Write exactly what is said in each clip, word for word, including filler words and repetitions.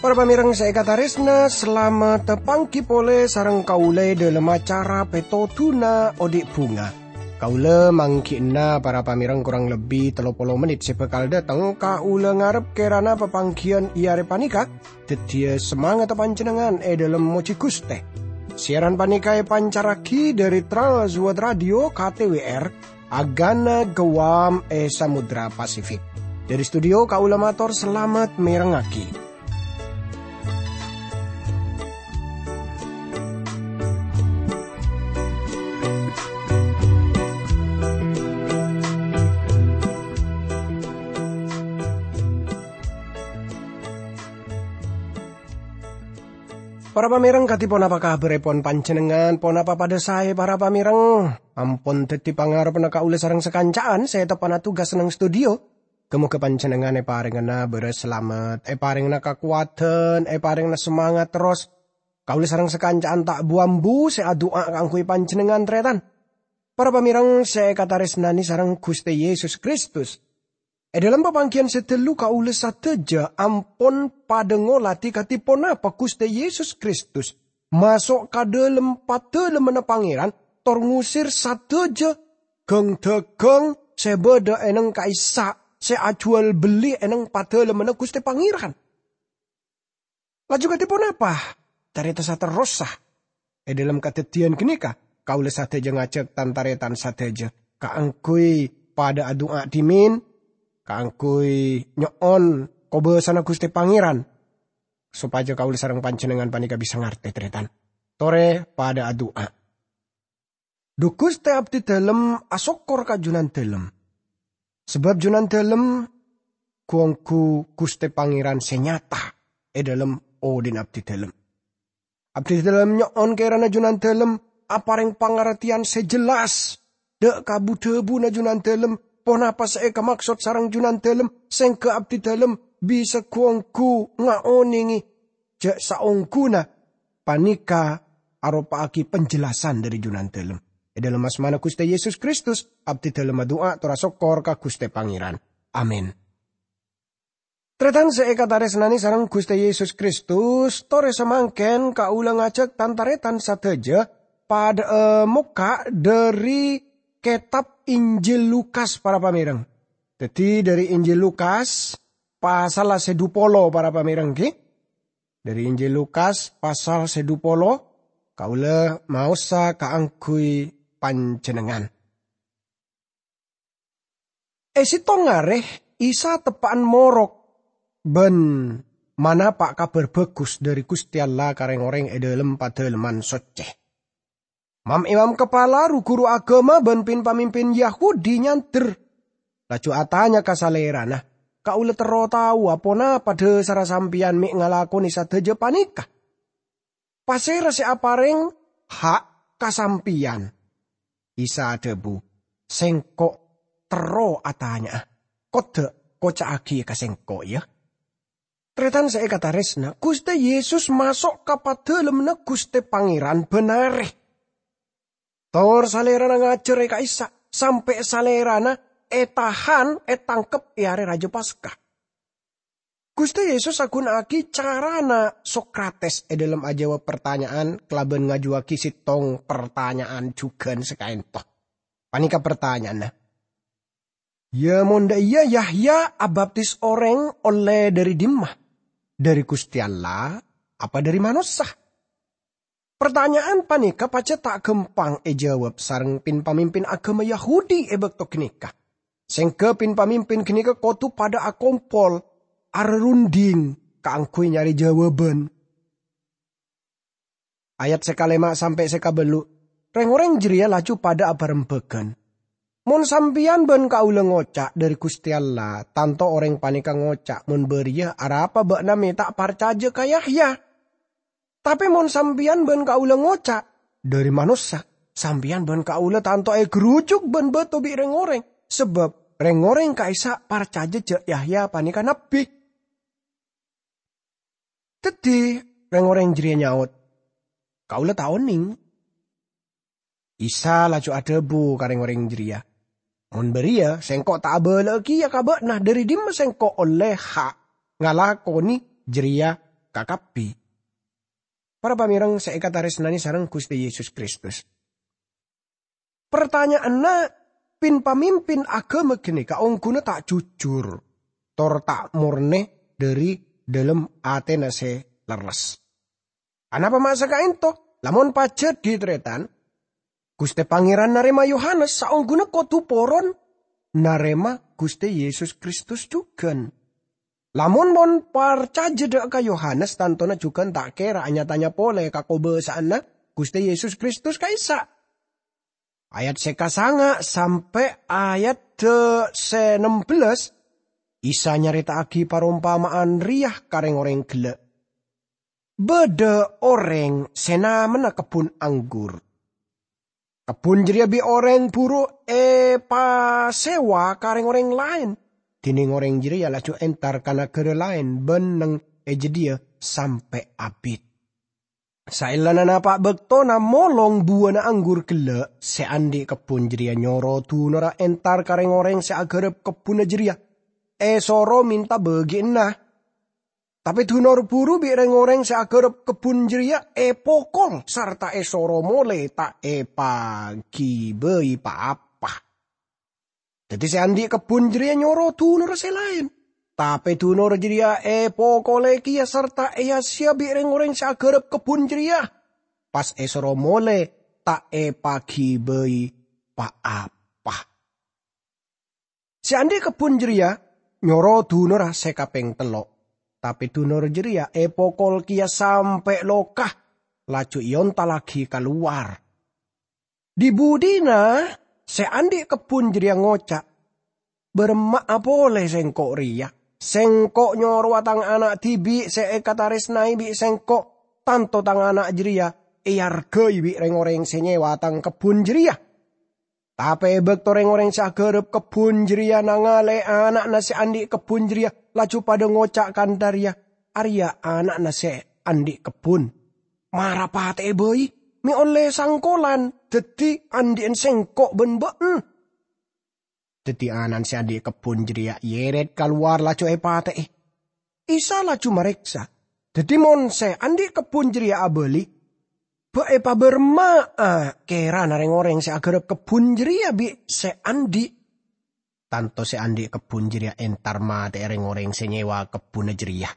Para pamèrèng sè èkatarèsna, salamet panggi polè sareng kaulâ è dhâlem acara Pètodhuna Odi' Bhunga. Kaulâ mangghi'na para pamèrèng korang lebbi tello polo mennit sè bhâkal dhâteng. Kaulâ ngarep kèrana papangghiyân è arè panèka dhâddhiyâ samangatta panjhennengngan è dhâlem mojhi Ghustè. Siaran panèka èpancarraghi dhâri Trans World Radio K T W R, Agana Guam è Samudra Pasifik. Dhâri studio kaulâ mator salamet mèrengngaghi. Para pamèrèng, kadhi ponapa kabhârèpon panjhennengngan? Ponapa padhâ saè, para pamèrèng? Ampon dhâddhi pangarebbhâ kaulâ sareng sakanca'an sè teppa'na tugas neng studio. Ghâ-mogâ panjhennengngan èparèngana bârâs salamet, èparèngana kakowadhân, èparèngana samangat terros. Kaulâ sareng sakanca'an ta' bu-ambu sè adu'a kaangghuy panjhennengngan, tarètan. Para pamèrèng sè èkatarèsnanè sareng Ghustè Yesus Kristus, è dhâlem papangghiyân sè dâllu kaulâ sadhâjâ ampon padhâ ngoladhi kadhi ponapa Ghustè Yesus Kristus maso' ka dhâlem padâlemmanna Pangèran, tor ngusir sadhâjâ ghâng-dhâghâng sè bâdâ è neng ka'issa' sè ajhuwâl bellî è neng padâlemmanna Ghustè Pangèran. Laju kadhi ponapa carèta saterrossa? È dhâlem kadhâddhiyân ghânèka, kaulâ sadhâjâ ngajhâk tan-tarètan sadhâjâ kaangghuy padhâ adu'a dhimèn, kaangghuy nyo'on kobâsana Ghustè Pangèran, sopajâ kaulâ sareng panjhennengngan panèka bisa ngartè, tarètan. Torè padhâ adu'a. Dhu Ghustè, abdhi dhâlem asokkor ka Junandhâlem. Sabâb Junandhâlem ghu-ongghu Ghustè Pangèran sè nyata è dhâlem odhi'na abdhi dhâlem. Abdhi dhâlem nyo'on kèrana Junandhâlem aparèng pangartèyan sè jelas dhâ' ka bu-dhâbuna Junandhâlem, ponapa sè èkamaksod sareng Junandhâlem, sèngghâ abdhi dhâlem bisa ghu-ongghu ngaonèngè jhâ' saongghuna panèka aropa'aghi penjelasan dhâri Junandhâlem. È dhâlem asmana Ghustè Yesus Kristus, abdhi dhâlem adu'a tor asokkor ka Ghustè Pangèran. Amin. Tarètan sè èkatarèsnanè sareng Ghustè Yesus Kristus, torè samangkèn kaulâ ngajhâk tan-tarètan sadhâjâ padhâ'â mokka' dhâri kètab Injil Lukas, para pamèrèng. Dhâddhi, dhâri Injil Lukas, pasalla sè dhu polo, para pamèrèng, ghi. Dhâri Injil Lukas pasal sè dhu polo, kaulâ maosa kaangghuy panjhennengngan. È sèttong arè, Isa teppa'an morok bân manapa' Kabhâr Bhâghus dhâri Ghustè Allah ka rèng-orèng è dhâlem Padâlemman Soccè. Mam-imam kapala, ru-ghuru aghâma bân pin-pamimpin Yahudi nyandher, laju atanya ka Salèrana, "Kaulâ terro taowa ponapa dhâsarra Sampèyan mè' ngalakonè sadhâjâ panèka? Pasèra sè aparèng ha' ka Sampèyan?" Isa adhâbu, "Sèngko' terro atanya'a. Kodâ' koca'aghi ka Sèngko', yâ." Tarètan sè èkatarèsna, Ghustè Yesus maso' ka Padâlemmanna Ghustè Pangèran bân arè. Tor Salèrana ngajhâr è ka'issa', sampè' Salèrana ètahan, ètangkep è arè Rajâ Paska. Ghustè Yesus aghuna'aghi carana Sokrates è dhâlem ajâwâb partanya'an kalabân ngajuwâghi sèttong partanya'an jhughân sakaènto. Panèka partanya'anna, "Yâ, mon dâ' iyâ, Yahya abaptis orèng ollè dhâri dimma? Dhâri Ghustè Allah apa dhâri manossa?" Partanya'an panèka pajhât ta' ghâmpang èjâwâb sareng pin-pamimpin aghâma Yahudi è bâkto ghânèka. Sèngghâ pin-pamimpin ghânèka kodhu padâ akompol, arèrunding kaangghuy nyarè jâwâbhân. Ayat sè kalèma' sampè' sè kabâllu', rèng-orèng jârèya laju padâ abârembhâghân, "Mon sampèyan bân kaulâ ngoca', 'Dhâri Ghustè Allah,' tanto orèng panèka ngoca', 'Mon bâriyâ, arapa bâ'na mè' ta' parcajâ ka Yahya?' Tapè mon sampèyan bân kaulâ ngoca', 'Dhâri manossa,' sampèyan bân kaulâ tanto ègherujhuk bân bâto bi' rèng-orèng, sabâb rèng-orèng ka'issa' parcajâ jâ' Yahya panèka nabbhi." Dhâddhi, rèng-orèng jârèya nyaot, "Kaulâ ta' onèng." Isa laju adhâbu ka rèng-orèng jârèya, "Mon bâriyâ, Sèngko' ta' abâlâ'â kèya ka bâ'na dhâri dimma Sèngko' ollè ha' ngalakonè jârèya kakabbhi." Para pamèreng sè èkatarèsnanè sareng Ghustè Yesus Kristus. Partanya'anna pin-pamimpin aghâma ghânèka ongghuna ta' jujur, tor ta' mornè dhâri dhâlem atèna sè lerres. Anapa ma' saka'ènto? Lamon pajhât, tarètan, Ghustè Pangèran narèma Yohanes, saongghuna kodhu poron narèma Ghustè Yesus Kristus jhughân. Lamon mon parcajâ dhâ' ka Yohanes, tantona jhughân ta' kèra nya-tanya polè ka kobâsa'anna Ghustè Yesus Kristus ka'issa'. Ayat sè kasanga' sampè' ayat sè nem bellâs, Isa nyarèta'aghi parompama'an rèya ka rèng-orèng ghellâ'. Bâdâ orèng sè namanna kebbhun anggur. Kebbhun jârèya bi' orèng buru èpasèwa ka rèng-orèng laèn, dhinèng orèng jârèya laju entar ka naghârâ laèn bân neng è jâdiyâ sampè' abit. Saellana napa' bâktona molong buwâna anggur ghellâ', sè andi' kebbhun jârèya nyoro dunorra entar ka rèng-orèng sè aghârâp kebbhunna jârèya, èsoro mènta bâgiânna. Tapè dunor buru bi' rèng-orèng sè aghârâp kebbhun jârèya èpokol sarta èsoro molè ta' èpaghibâi pa-apa. Dhâddhi sè andi' kebbhun jârèya nyoro dunorra sè laèn. Tapè dunorra jârèya èpokolè kèya sarta èyasèya bi' rèng-orèng sè aghârâp kebbhun jârèya, pas èsoro molè ta' èpaghibâi pa-apa. Sè andi' kebbhun jârèya nyoro dunorra sè kapèng tello', tapè dunor jârèya èpokol kèya sampè' loka, laju èontallaghi kalowar. Dhi-budhina sè andi' kebbhun jârèya ngoca', "Bârâmma'a polè sèngko' rèya? Sèngko' nyorowa tang ana' dhibi' sè èkatarèsnaè bi' sèngko', tanto tang ana' jârèya èarghâi bi' rèng-orèng sè nyèwa tang kebbhun jârèya." Tapè è bâkto rèng-orèng sè aghârâp kebbhun jârèya nangalè ana'na sè andi' kebbhun jârèya, laju padâ ngoca' kantha rèya, "Arèya ana'na sè andi' kebbhun. Mara patè'è bhâi, mè' ollè sangkolan dhâddhi andi'ân sèngko' bân bâ'na." Dhâddhi ana'na sè andi' kebbhun jârèya èyèrèt kalowar laju èpatè'è. Isa laju marèksa, "Dhâddhi mon sè andi' kebbhun jârèya abâli, bâ' èpabârâmma'a kèrana rèng-orèng sè aghârâp kebbhun jârèya bi' sè andi'? Tanto sè andi' kebbhun jârèya entar matè'è rèng-orèng sè nyèwa kebbhunna jârèya,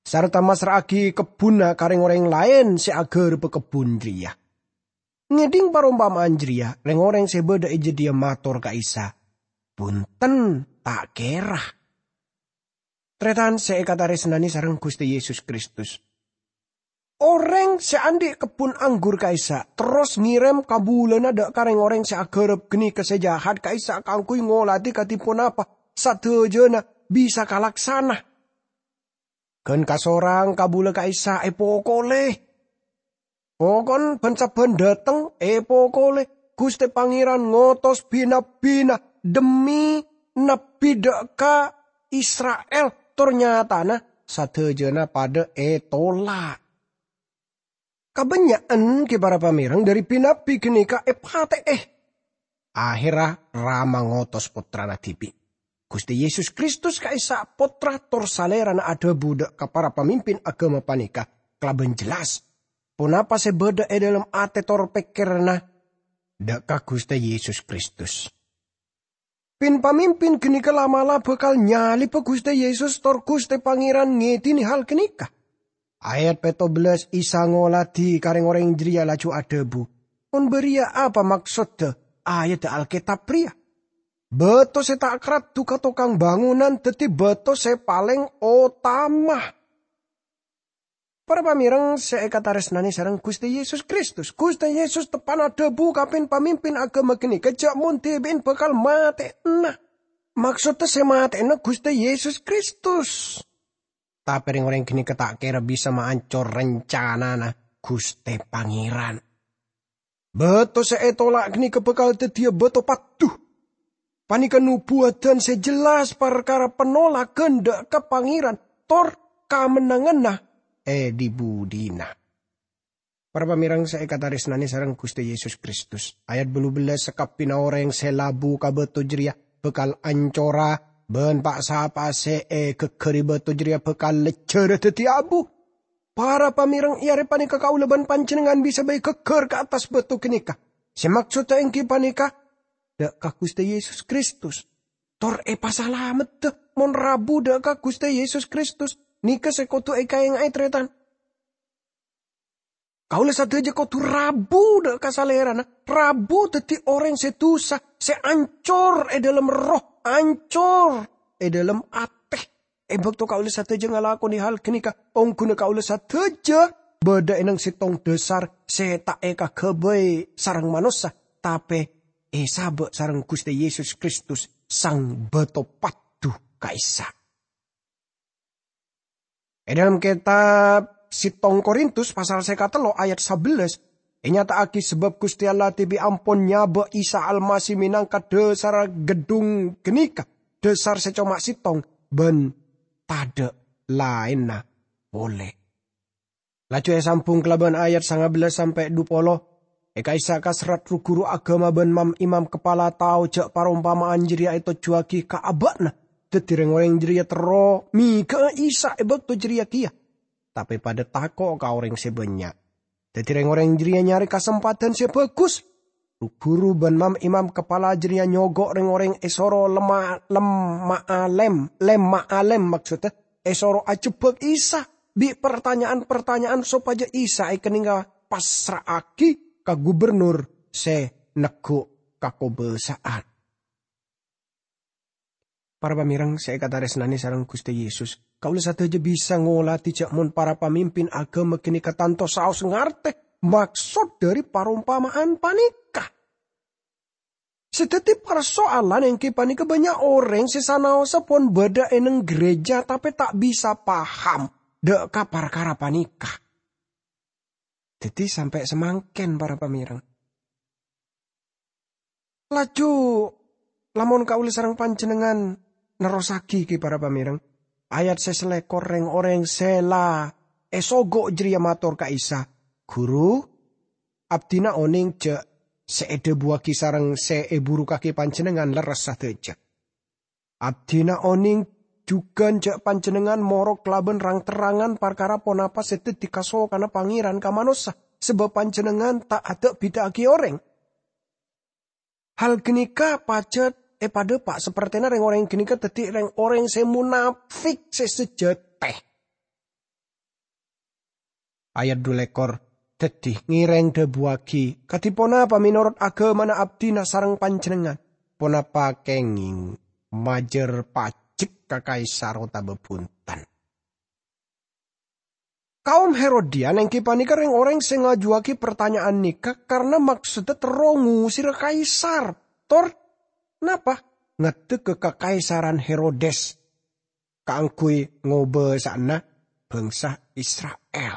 sarta massra'aghi kebbhunna ka rèng-orèng laèn sè aghârâbhâ kebbhun jârèya." Ngèdhing parompama'an jârèya, rèng-orèng sè bâdâ è jâdiyâ mator ka Isa, "Bhunten, ta' kèra." Tarètan sè èkatarèsnanè sareng Ghustè Yesus Kristus. Orèng sè andi' kebbhun anggur ka'issa' terros ngèrèm kabulâna dâ' ka rèng-orèng sè aghârâp ghânèka sè jahat ka'issa' kaangghuy ngoladhi kadhi ponapa sadhâjâna bisa kalaksana. Ghân kasorang kabulâ ka'issa' èpokolè. Pokon bân-sabbhân dâteng èpokolè, Ghustè Pangèran ngotos bi-nabbhina dhemmi nabbhi dâ' ka Isra'il, tor nyatana sadhâjâna padâ ètola'. Kabânnya'an ghi para pamèreng dhâri bi-nabbhi ghânèka èpatè'è. Aherra Rama ngotos Pottrana dhibi', Ghustè Yesus Kristus ka'issa' Pottra, tor Salèrana adhâbu dâ' ka para pamimpin aghâma panèka kalabân jelas ponapa sè bâdâ è dâlem atè tor pèkkèranna dâ' ka Ghustè Yesus Kristus. Pin-pamimpin ghânèka la'-mala' bhâkal nyalibhâ Ghustè Yesus tor Ghustè Pangèran ngèdhinè hal ghânèka. Ayat pètto bellâs Isa ngoladhi ka rèng-orèng jârèya laju adhâbu, "Mon bâriyâ apa maksodda ayaddhâ Alkètab rèya? Bâto sè ta' karaddhu ka tokang bângonan dhâddhi bâto sè palèng otama." Para pamèreng sè èkatarèsnanè sareng Ghustè Yesus Kristus, Ghustè Yesus teppa'na adhâbu ka pin-pamimpin aghâma ghânèka jhâ' mon dhibi'en bhâkal matè'ana. Maksodda sè matè'ana Ghustè Yesus Kristus. Tapè rèng-orèng ghânèka ta' kèra bisa maancor rancanana Ghustè Pangèran. Bâto sè ètola' ghânèka bhâkal dhâddhiyâ bâto paddu. Panèka nobuwâdhân sè jelas parkara panolaghân dâ' ka Pangèran tor kamennanganna è dhi-budhina. Para pamèrèng sè èkatarèsnanè sareng Ghustè Yesus Kristus, ayat bâllu bellâs, sakabbhiyânna orèng sè labu ka bâto jârèya bhâkal ancora, bân pa'-sapa' sè èghâgghâri bâto jârèya bhâkal lejjhârâ dhâddhi abu. Para pamèrèng, è arè panèka kaulâ bân panjhennengngan bisa bhâi ghâgghâr ka attas bâto ghânèka. Sè maksodda èngghi panèka, dâ' ka Ghustè Yesus Kristus. Tor èpasalamedda mon rabu dâ' ka Ghustè Yesus Kristus. Nèka sè kodhu èkaènga'è, tarètan. Kaulâ sadhâjâ kodhu rabu dâ' ka Salèrana, rabu dhâddhi orèng sè dhusa, sè ancor è dâlem erroh, ancor è dâlem atè. È bâkto kaulâ sadhâjâ ngalakonè hal ghânèka, ongghuna kaulâ sadhâjâ bâdâ è nèng sèttong dhâsar sè ta' èkaghâbây sareng manossa, tapè èsabâ' sareng Ghustè Yesus Kristus, Sang Bâto Paddhu ka'issa'. È dâlem kètab sèttong Korintus pasal sè katello ayat sabellâs, ènyata'aghi sabâb Ghustè Allah dhibi' ampon nyabâ' Isa Almasih mènangka dhâsarra ghedhung ghânèka, dhâsar sè coma sèttong bân tadâ' laènna polè. Laju èsambhung kalabân ayat sanga bellâs sampè' dhu polo, è ka'issa' kaserrat ru-ghuru aghâma bân mam-imam kapala tao jâ' parompama'an jârèya ètojjhuwâghi ka abâ'na. Dhâddhi rèng-orèng jârèya terro mèghâ'â Isa è bâkto jârèya kèya, tapè padâ tako' ka orèng sè bânnya'. Dhâddhi rèng-orèng jârèya nyarè kasempadhân sè bhâghus. Ru-ghuru bân mam-imam kapala jârèya nyogo' rèng-orèng èsoro lemma-, lemma'a lem-, lemma'a lem, maksodda èsoro ajhebbhâk Isa bi' partanya'an-partanya'an sopajâ Isa èkennengnga passra'aghi ka gubernur sè neggu' kakobâsa'an. Para pamèrèng sè èkatarèsnanè sareng Ghustè Yesus, kaulâ sadhâjâ bisa ngolatè jâ' mon para pamimpin aghâma ghânèka tanto saos ngartè maksod dhâri parompama'an panèka. Sè dhâddhi parsoalan èngghi panèka bânnya' orèng sè sanaossa pon bâdâ è nèng ghârèjâ tapè ta' bisa paham dâ' ka parkara panèka. Dhâddhi sampè' samangkèn, para pamèrèng. Laju, lamon kaulâ sareng panjhennengngan nerrossaghi, ghi, para pamèrèng, ayat sè salèkor, rèng-orèng sè la èsogo' jârèya mator ka Isa, "Ghuru, abdhina onèng jâ' sè èdhâbuwâghi sareng sè èburukaghi Panjhennengngan lerres sadhâjâ. Abdhina onèng jhughân jâ' Panjhennengngan morok kalabân rang-terrangan parkara ponapa sè dhâddhi kasokanna Pangèran ka manossa, sabâb Panjhennengngan ta' ada'-bhidhâ'âghi orèng." Hal ghânèka pajhât èpadhâpa' sapertèna rèng-orèng ghânèka dhâddhi rèng-orèng sè monafik sè sajhâtè. Ayat dhu lèkor, dhâddhi ngèrèng dhâbuwâghi, "Kadhi ponapa mènorot aghâmana abdhina sareng panjhennengngan? Ponapa kèngèng majâr pajek ka Kaisar otabâ bhunten?" Kaom Herodian èngghi panèka rèng-orèng sè ngajuwâghi partanya'an nèka karana maksodda terro ngosèra Kaisar. Tor, napa? Ngadhegghâ kakaisaran Herodes kaangghuy ngobâsa'ana bhângsa Isra'il.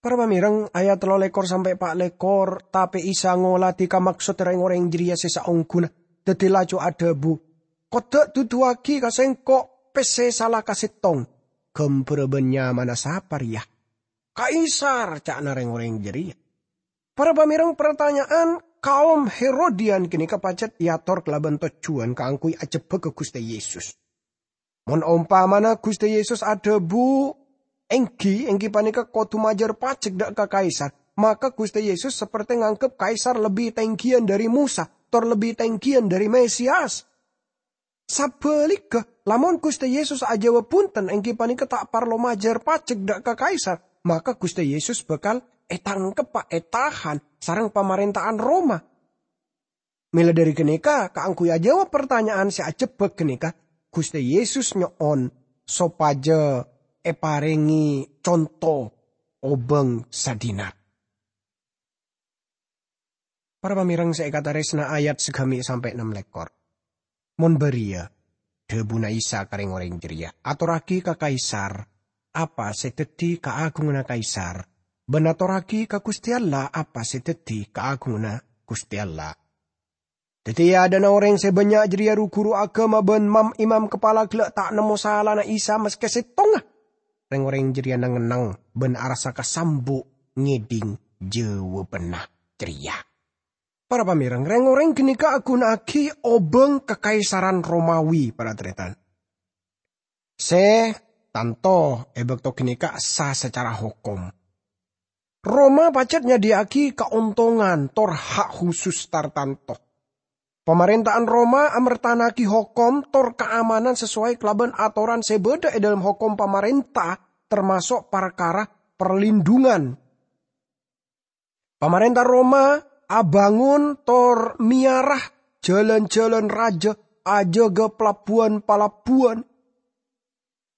Para pamèrèng, ayat tello lèkor sampè' pa' lèkor, tapè Isa ngolatè ka maksod rèng-orèng jârèya sè saongghuna, dhâddhi laju adhâbu, "Kodda' duduwâghi ka Sèngko' pèssè sala kasèttong, ghâmbhârrâ bân nyamana sapa rèya?" "Kaisar," ca'na rèng-orèng jârèya. Para pamèrèng, partanya'an kaom Herodian ghânèka pajhât èator kalabân tojjhuwân kaangghuy ajhebbhâghâ Ghustè Yesus. Mon ompamana Ghustè Yesus adhâbu, "Èngghi, èngghi panèka kodhu majâr pajek dâ' ka Kaisar," maka Ghustè Yesus sapertè nganggep Kaisar lebbi tèngghiyân dhâri Mosa, tor lebbi tèngghiyân dhâri Mesias. Sabhâligghâ, lamon Ghustè Yesus ajâwâb bhunten èngghi panèka ta' parlo majâr pajek dâ' ka Kaisar, maka Ghustè Yesus bhâkal ètangkebbhâ, ètahan sareng pamarènta'an Roma. Mèla dhâri ghânèka, kaangghuy ajâwâb partanya'an sè ajhebbhâk ghânèka, Ghustè Yesus nyo'on sopajâ èparèngè conto obâng sadinar. Para pamèrèng sè èkatarèsna, ayat sagâmè' sampè' nem lèkor. Mon bâriyâ, dhâbuna Isa ka rèng-orèng jârèya, "Atorraghi ka Kaisar apa sè dhâddhi kaagunganna Kaisar, bân atorraghi ka Ghustè Allah apa sè dhâddhi kaagunganna Ghustè Allah." Dhâddhi, è adâ'na orèng sè bânnya' jârèya, ru-ghuru aghâma bân mam-imam kapala ghellâ' ta' nemmo salana Isa maskè sèttongnga. reng-oreng jareya neng-enneng ban arassa kasambu' ngedhing jawabanna jareya. Para pamereng, reng-oreng ganeka aguna'agi obang kakaisaran Romawi, para taretan. Se tanto e bakto ganeka sa sacara hokom. Roma pajat nyadhiya'agi kaontongan tor hak khusus tartanto. Pamarenta'an Roma amertana'agi hokom tor kaamanan sasowai kalaban atoran se badha e dhalem hokom pamarenta, termaso' parkara parlindhungan. Pamarenta Roma abangon tor meyara jalan-jalan raja, ajaga palabuwan-palabuwan.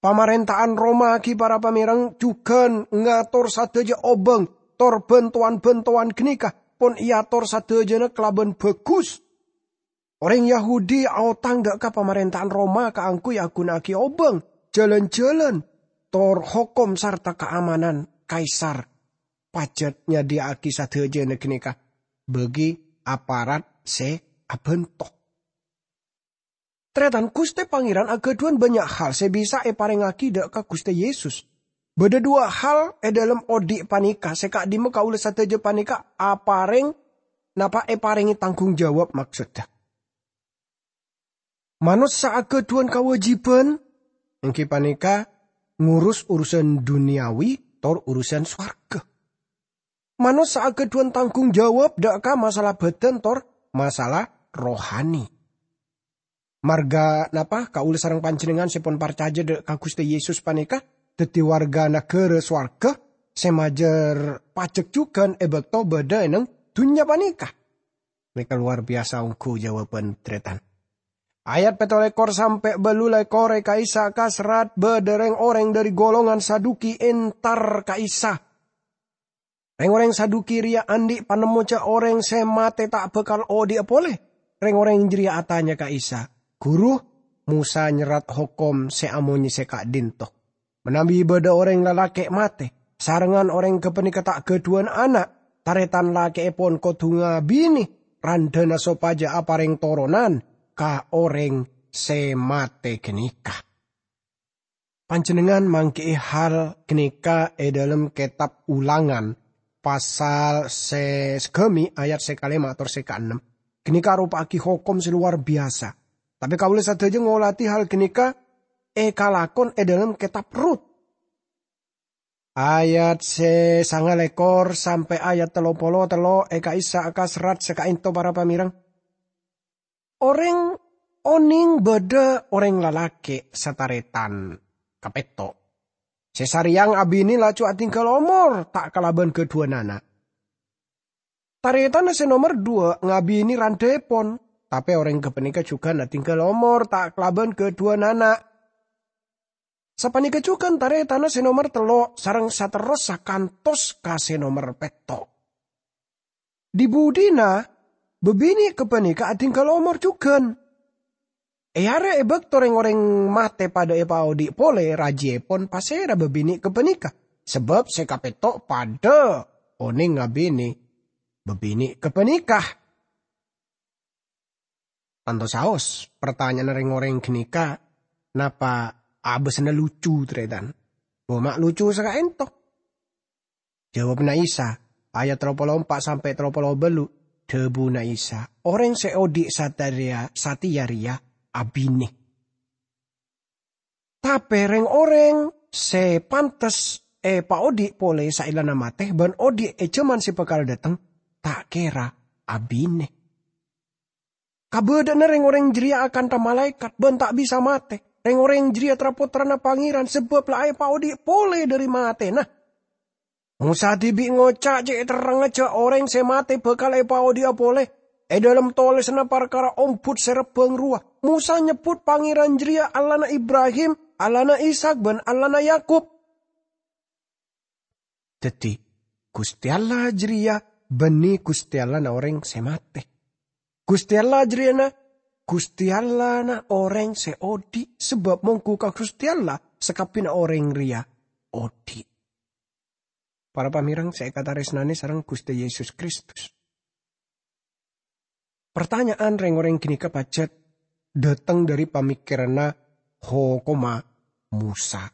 Pamarenta'an Roma gi para pamereng jugan ngator sadaja obang tor bantowan-bantowan ganeka pon eator sadajana kalaban bagus. Oreng Yahudi aotang dha' ka pamarenta'an Roma kaangguy aguna'agi obang, jalan-jalan, tor hokom sarta kaamanan Kaisar. Pajat nyadhiya'agi sadajana ganeka bagi aparat se abanto. Taretan, Guste Pangeran agadhuwan bannya' hal se bisa eparengngagi dha' ka Guste Yesus. Badha dhuwa' hal e dhalem odhi' paneka se ka'dhimma kaula sadaja paneka apareng, napa eparenge tanggung jawab, maksodda. Manossa agadhuwan kawajiban, enggi paneka ngurus urusan duniyawi tor urusan sowarga. Manossa agadhuwan tanggung jawab dha' ka masalah badan tor masalah rohani. Marga napa kaula sareng panjennengngan se pon parcaja dha' ka Guste Yesus paneka daddi warga nagara sowarga se majâr pajek jugan e bakto badha e neng dunnya paneka? Neka lowar biyasa ongghu jawaban taretan. Ayat pètto lèkor sampè' bâllu lèkor è ka'issa' kaserrat bâdâ rèng-orèng dhâri golongan Saduki entar ka Isa. Rèng-orèng Saduki rèya andi' panemmo jhâ' orèng sè matè ta' bhâkal odhi'a polè. Rèng-orèng jârèya atanya ka Isa, "Ghuru, Mosa nyerrat hokom sè amonyè sè ka'dhinto. Manabi bâdâ orèng lalakè' matè, sarengngan orèng ghâpanèka ta' ghâdhuwân ana', tarètan lakè'èpon kodhu ngabinè randhâna sopajâ aparèng toronan ka orèng sè matè ghânèka." Panjhennengngan mangghi'i hal ghânèka è dhâlem kètab Ulangan, pasal sè saghâmi, ayat sè kalèma' tor sè kaennem. Ghânèka aropa'aghi hokom sè lowar biyasa. Tapè kaulâ sadhâjâ ngolatè hal ghânèka èkalakon è dhâlem kètab Rut. Ayat sè sanga lèkor sampè' ayat tello polo tello' è ka'issa' kaserrat sè ka'ènto para pamèrèng. Orèng onèng bâdâ orèng lalakè' satarètan kapètto', sè sarèyang abinè laju adhinggâl omor ta' kalabân ghâdhuwân ana'. Tarètanna sè nomer duwâ' ngabinè randhâèpon, tapè orèng ghâpanèka jhughân adhinggâl omor ta' kalabân ghâdhuwân ana'. Sapanèka jhughân tarètanna sè nomer tello' sareng saterrossa kantos ka sè nomer pètto'. Dhi-budhina bâbinè' ghâpanèka adhinggâl omor jhughân. È arè è bâkto rèng-orèng matè padâ èpaodhi' polè, rajiyèpon pasèra bâbinè' ghâpanèka, sabâb sè kapètto' padâ onèng ngabinè bâbinè' ghâpanèka. Tanto saos, partanya'anna rèng-orèng ghânèka napa abâssana lucu, tarètan? Coma lucu sè ka'ènto. Jâwâbbhâ Isa, ayat tello polo empa' sampè' tello polo bâllu', dhâbuna Isa, "Orèng sè odhi' satèya, satèya rèya abinè." Tapè rèng-orèng sè pantes èpaodhi' polè saellana matè bân odhi' è jhâman sè bhâkal dâteng, ta' kèra abinè. Kabâdâ'ânna rèng-orèng jârèya akantha malaèkat bân ta' bisa matè. Rèng-orèng jârèya tra-pottrana Pangèran sabâb la èpaodhi' polè dhâri matèna. Mosa dhibi' ngoca' cè' terrengnga jhâ' orèng sè matè bhâkal èpaodhi'a polè. È dhâlem tolèsanna parkara ombhut sè rebbhâng rowa, Mosa nyebbhut Pangèran jârèya Allahna Ibrahim, Allahna Ishak, bân Allahna Yakub. Dhâddhi, Ghustè Allah jârèya bânnè Ghustè Allahna orèng sè matè. Ghustè Allah jârèyana Ghustè Allahna orèng sè odhi', sabâb mongghu ka Ghustè Allah sakabbhiyânna orèng rèya odhi'. Para pamèrèng sè èkatarèsnanè sareng Ghustè Yesus Kristus. Partanya'an rèng-orèng ghânèka pajhât dâteng dhâri pamèkkèranna Hokomma Mosa.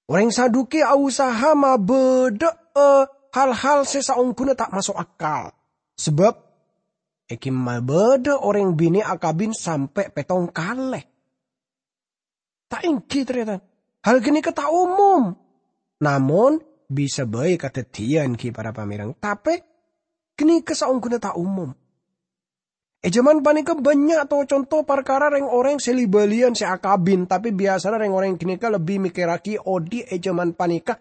Orèng Saduki ausaha mabâdâ'â hal-hal sè saongghuna ta' maso' akal. Sabâb, èngghi mabâdâ orèng binè' akabin sampè' pèttong kalè. Ta' èngghi, tarètan. Hal ghânèka ta' omom. Namong, bisa bhâi kadhâddhiyân, ghi, para pamèreng. Tapè, ghânèka saongghuna ta' omom. È jhâman panèka bânnya' to-conto parkara rèng-orèng sè li-bâliyân sè akabin, tapè biyasana rèng-orèng ghânèka lebbi mèkkèrraghi odi' è jhâman panèka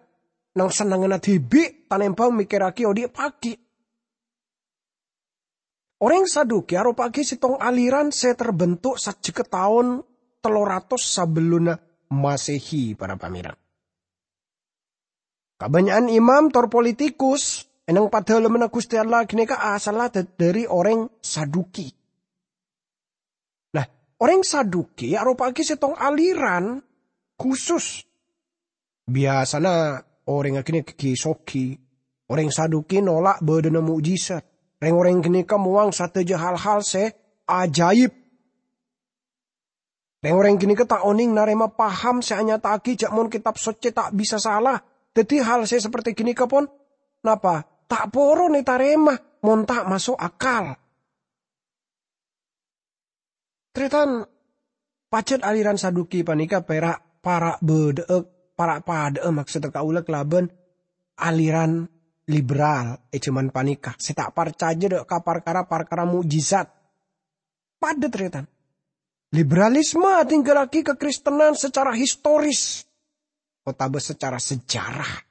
neng-sennengnganna dhibi' tanèmbhâng mèkkèrraghi odi' paghi'. Orèng Saduki aropa'aghi sèttong aliran sè terbentuk sajjhegghâ taon tello ratos sabellunna Masehi, para pamèreng. Kabânnya'an imam tor politikus è neng Padalemmanna Ghustè Allah ghânèka asalla dâ-, dâri orèng Saduki. Nah, orèng Saduki aropa'aghi sèttong aliran khusus. Biyasana orèng ghânèka ghi-soghi. Orèng Saduki nolak bâdâna mo'jizat. Rèng-orèng ghânèka mowang sadhâjâ hal-hal sè ajaib. Rèng-orèng ghânèka ta' onèng narèma paham sè anyata'aghi jhâ' mon Kètab Socè ta' bisa sala. Dhâddhi hal sè saperti ghânèka pon, napa? Ta' poron ètarèma mon ta' maso' akal. Tarètan, pajhât aliran Saduki panèka pèra' para' bâdâ'â, para' padâ'â maksodda kaulâ kalabân aliran liberal è jhâman panèka, sè ta' parcajâ dâ' ka parkara-parkara mo'jizat. Padâ, tarètan. Liberalisme adhingghâllaghi kakristenan sacara historis otabâ sacara sejarah.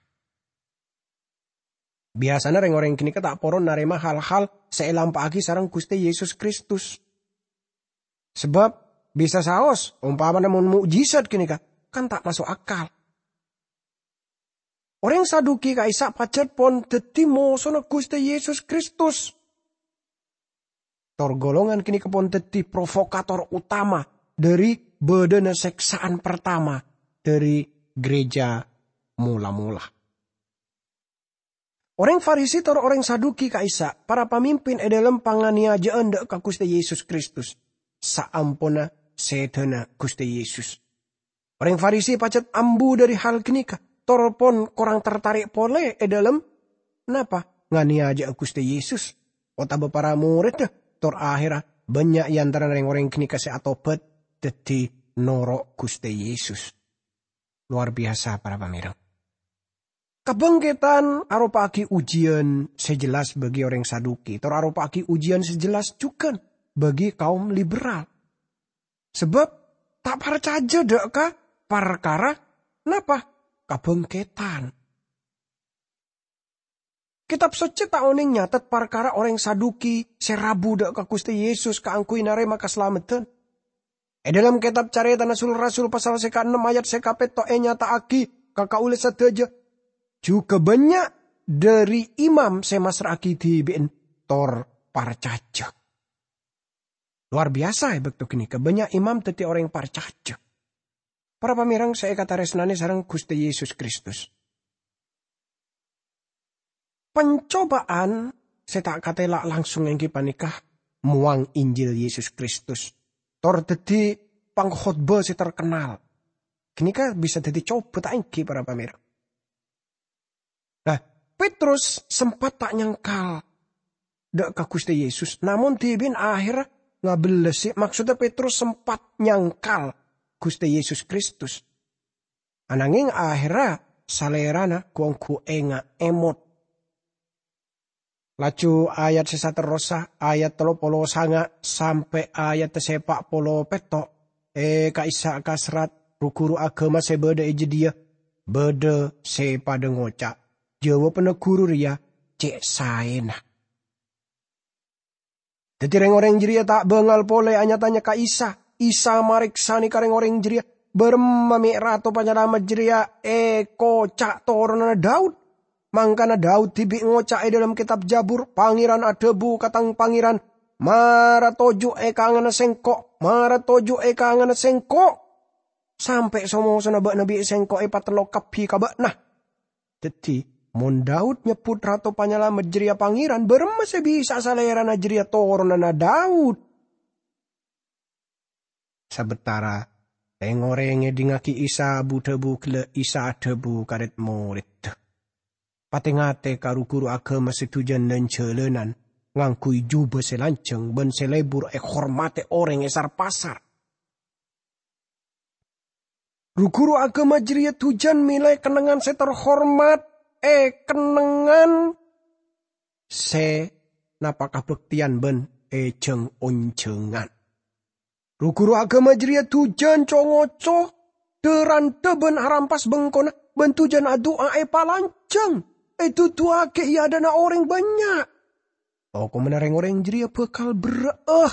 Biyasana rèng-orèng ghânèka ta' poron narèma hal-hal sè èlampa'aghi sareng Ghustè Yesus Kristus. Sabâb, bisa saos, ompamana mon mo'jizat ghânèka, kan ta' maso' akal. Orèng Saduki ka'issa' pajhât pon dhâddhi mosona Ghustè Yesus Kristus. Tor golongan ghânèka pon dhâddhi provokator utama dâri bâdâna sèksa'an partama dâri ghârèjâ mola-mola. Orèng Farisi tor orèng Saduki ka'issa' para pamimpin è dâlem panganiyajâ'ân dâ' ka Ghustè Yesus Kristus, saamponna sèdhâna Ghustè Yesus. Orèng Farisi pajhât ambu dâri hal ghânèka, tor pon korang tartarè' polè è dâlem, napa, nganiyajâ'â Ghustè Yesus otabâ para morèdda, tor ahèrra bânnya' è antarana rèng-orèng ghânèka sè atobhât dhâddhi noro' Ghustè Yesus. Lowar biyasa, para pamèreng. Kabhângkètan aropa'aghi ujiyân sè jelas bagi orèng Saduki, tor aropa'aghi ujiyân sè jelas jhughân bagi kaum liberal. Sabâb ta' parcajâ dâ' ka parkara napa? Kabhângkètan. Kètab Socè ta' onèng nyatet parkara orèng Saduki sè rabu dâ' ka Ghustè Yesus kaangghuy narèma kasalamedhân. È dâlem kètab Carètana Sul-Rasul pasal sè kaennem ayat sè kapètto' ènyata'aghi ka kaulâ sadhâjâ, jhughân bânnya' dâri imam sè massra'aghi dhibi'na tor parcajâ. Lowar biyasa è bâkto ghânèka, bânnya' imam dhâddhi orèng parcajâ. Para pamèreng sè èkatarèsnanè sareng Ghustè Yesus Kristus. Pancobâ'ân sè ta' katèla' langsung èngghi panèka mowang Injil Yesus Kristus, tor dhâddhi pangkhotbah sè terkenal. Ghânèka bisa dhâddhi cobâ ta' èngghi, para pamèreng. Nah, Petrus sempat ta' nyangkal dâ' ka Ghustè Yesus, namong dhibi'na ahèrra ngabellasi, maksodda Petrus sempat nyangkal Ghustè Yesus Kristus. Ananging ahèrra salèrana ghu-ongghu enga' èmot. Laju ayat sè saterrossa, ayat tello polo sanga' sampè' ayat sè pa' polo pètto', è ka'issa' kaserrat ru-ghuru aghâma sè bâdâ è jâdiyâ, bâdâ sè padâ ngoca', "Jâwâbhânna ghuru rèya cè' saèna." Dhâddhi rèng-orèng jârèya ta' bângal polè nya-tanya ka Isa. Isa marèksanè ka rèng-orèng jârèya, "Bârâmma mè' Rato Panyalamet jârèya èkoca' toronanna Daud? Mangkana Daud dhibi' ngoca' è dâlem kètab Jabur, 'Pangèran adhâbu ka tang Pangèran, mara toju' è kanganna Sèngko', mara toju' è kanganna Sèngko', sampè' so-mosona bâ'na bi' Sèngko' èpatello' kabbhi ka bâ'na.' Dhâddhi, mon Daud nyebbhut Rato Panyalamet jârèya Pangèran, bârâmma sè bisa'a Salèrana jârèya toronanna Daud?" Sabâtara Reng-oreng ngedhingngagi Isa abu-dhabu ghellâ' Isa adhabu ka red-moredda, "Pate-ngate ka ru-ghuru agama se dujan lan-jalanan ngangguy juba se lanjhâng ban se lebur ehormate oreng e sar-pasar." Ru-ghuru agama jareya dujan mele kennengngan se terhormat, e kennengngan se napa kabakteyan ban e jhâng-onjhângan. Ru-ghuru agama jareya dujan co-ngoco, dha-randha ban arampas bengkona, ban dujan adu'a epalanjhâng, eduduwagi e adha'na oreng bannya'. Tokomanna reng-oreng jareya bakal berra'a.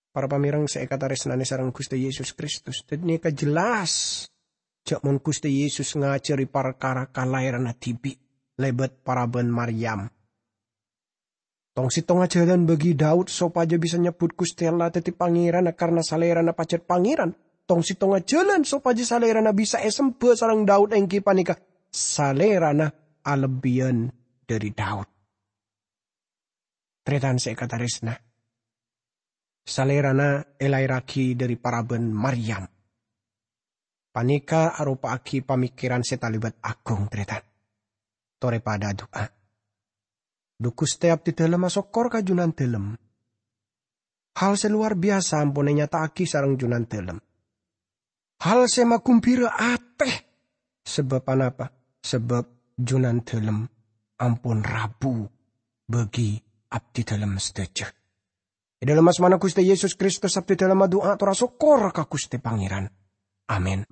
Para pamereng se ekataresnane sareng Guste Yesus Kristus, ganeka jelas ja' mon Guste Yesus ngajari parkara kalaeranna dibi' lebat paraban Maryam. Tong-settonga jalan bagi Daud sopaja bisa nyebbut Guste Allah daddi Pangeranna karna Salerana pajat Pangeran. Tong-settonga jalan sopaja Salerana bisa esemba sareng Daud enggi paneka Salerana alebbiyan dhari Daud. Taretan se ekataresna, Salerana elaerragi dhari paraban Maryam. Paneka aropa'agi pamikiran se talebat agung, taretan. Tore padha adu'a. Dhu Guste, abdidalem asokkor ka Junandalem. Hal se lowar biyasa ampon enyata'agi sareng Junandalem. Hal se magumbira ate. Sabab anapa? Sabab Junandalem ampon rabu bagi abdidalem sadaja. E dhalem asmana Guste Yesus Kristus, abdidalem adu'a tor asokkor ka Guste Pangeran. Amin.